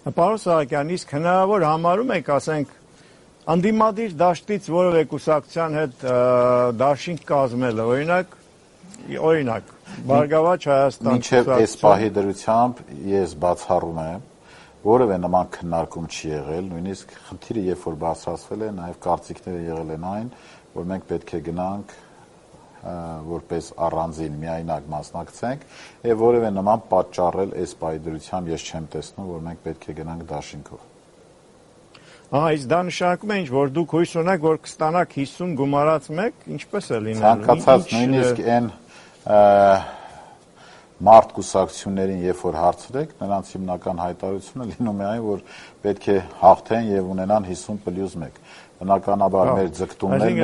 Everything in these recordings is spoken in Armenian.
Պարոն Սահակյան, իսկ հնարավոր համարում եք, ասենք, անդիմադիր դաշտից որևէ կուսակցության հետ դաշինք կազմելը, օրինակ, Բարգավաճ Հայաստան մինչև այս պահի դրությամբ ես բացառում եմ, որևէ նման քննարկում չի եղել, նույնիսկ խնդիրը երբ որ բարձրացվել է, նաև կարծիքները եղել են այն, որ մենք պետք է գնանք որպես առանձին միայնակ մասնակցենք եւ որևէ նման պատճառել այս պահի դրությամբ ես չեմ տեսնում, որ մենք պետք է գնանք դաշինքով։ Իսկ դա նշանակում է ինչ, որ դուք հույս ունեք, որ կստանաք 50 գումարած 1, ինչպես է լինելու։ Ցանկացած նույնիսկ այն մարդ կուսակցություններին, երբ որ հարցրեք, նրանց հիմնական հայտարարությունը լինում է այն, որ պետք է հաղթեն եւ ունենան 50+1։ Բնականաբար մեր ձգտումներն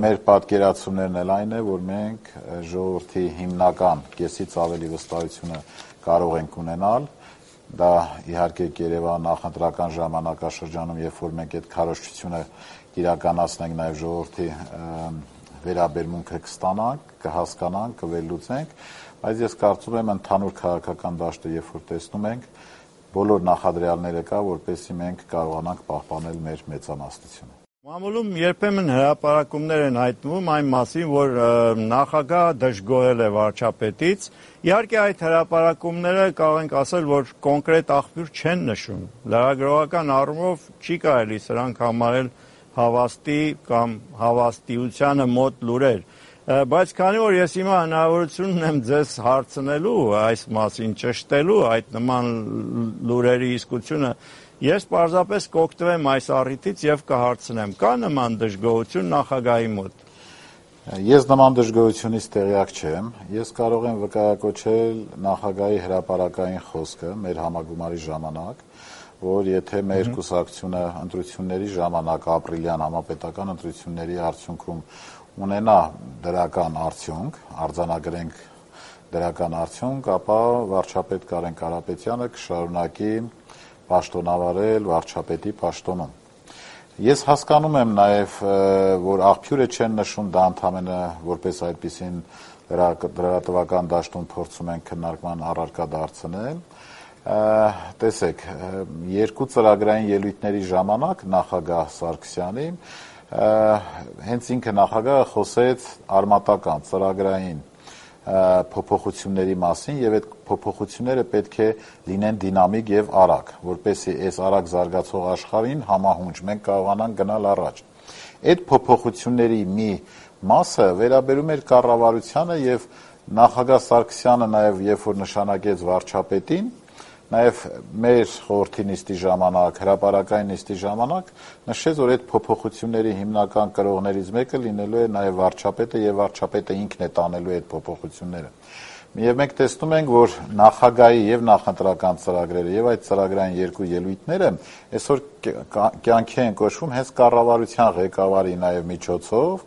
մեր պատկերացումներն էլ այն է, որ մենք ժողովրդի հիմնական կեսից ավելի վստահությունը կարող ենք ունենալ։ Դա իհարկե կերևա նախընտրական ժամանակաշրջանում, երբ որ մենք այդ քարոզչությունը իրականացնենք, նաև ժողովրդի վերաբերմունքը կստանանք, կհասկանանք, կվերլուծենք, բայց ես կարծում եմ ընդհանուր քաղաքական դաշտը, երբ որ տեսնում ենք, բոլոր նախադրյալները կա, որպեսզի մենք կարողանանք պահպանել մեր մեծամասնությունը։ Մամուլում երբեմն հրապարակումներ են հայտնվում այն մասին, որ նախագահը դժգոհել է վարչապետից։ Իհարկե այդ հրապարակումները կարող ենք ասել, որ կոնկրետ աղբյուր չեն նշում։ Լրագրողական առումով չի կարելի սրանք համարել հավաստի կամ հավաստիությանը մոտ լուրեր, բայց քանի որ ես հիմա հնարավորություն ունեմ ձեզ հարցնելու այս մասին, ճշտելու այդ նման լուրերի իսկությունը, ես պարզապես կօգտվեմ այս առիթից եւ կհարցնեմ. կա նման դժգոհություն նախագահի մոտ։ Ես նման դժգոհությունից տեղյակ չեմ, ես կարող եմ վկայակոչել նախագահի հրապարակային խոսքը մեր համագումարի ժամանակ, որ եթե մեր կուսակցությունը ընտրությունների ժամանակ ապրիլյան համապետական ընտրությունների արդյունքում ունենա դրական արդյունք, արձանագրենք դրական արդյունք, ապա վարչապետ Կարեն Կարապետյանը կշարունակի պաշտոնավարել վարչապետի պաշտոնում։ Ես հասկանում եմ նաև, որ աղբյուրը չեն նշում, դա ընդհանրապես որպես այդպիսին լրատվական դաշտում փորձում են քննարկման առարկա դարձնել։ Տեսեք, երկու ծրագրային ելույթների ժամանակ նախագահ Սարգսյանի հենց ինքը նախագահը խոսեց արմատական ծրագրային փոփոխությունների մասին եւ այդ փոփոխությունները պետք է լինեն դինամիկ եւ արագ, որպեսզի այս արագ զարգացող աշխարհին համահունչ մենք կարողանանք գնալ առաջ։ Այդ փոփոխությունների մի մասը վերաբերում էր կառավարությանը եւ նախագահ Սարգսյանը նաեւ երբ որ նշանակեց վարչապետին, նաև մեր խորհրդի նիստի ժամանակ, հրապարակային նիստի ժամանակ նշեց, որ այդ փոփոխությունների հիմնական կրողներից մեկը լինելու է նաև վարչապետը եւ վարչապետը ինքն է տանելու այդ փոփոխությունները։ Եվ մենք տեսնում ենք, որ նախագահի եւ նախընտրական ծրագրերը եւ այդ ծրագրային երկու ելույթները այսօր կյանքի են կոչվում հենց կառավարության ղեկավարի նաև միջոցով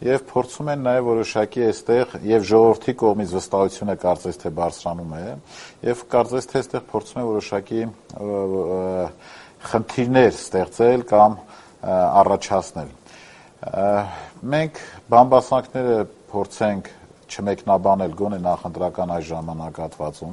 եւ փորձում են նաեւ որոշակի այստեղ եւ ժողովրդի կողմից վստահությունը կարծես թե բարձրանում է եւ կարծես թե այստեղ փորձում են որոշակի խնդիրներ ստեղծել կամ առաջացնել։ Մենք բամբասանքները փորձենք չմեկնաբանել գոնե նախընտրական այս ժամանակահատվածում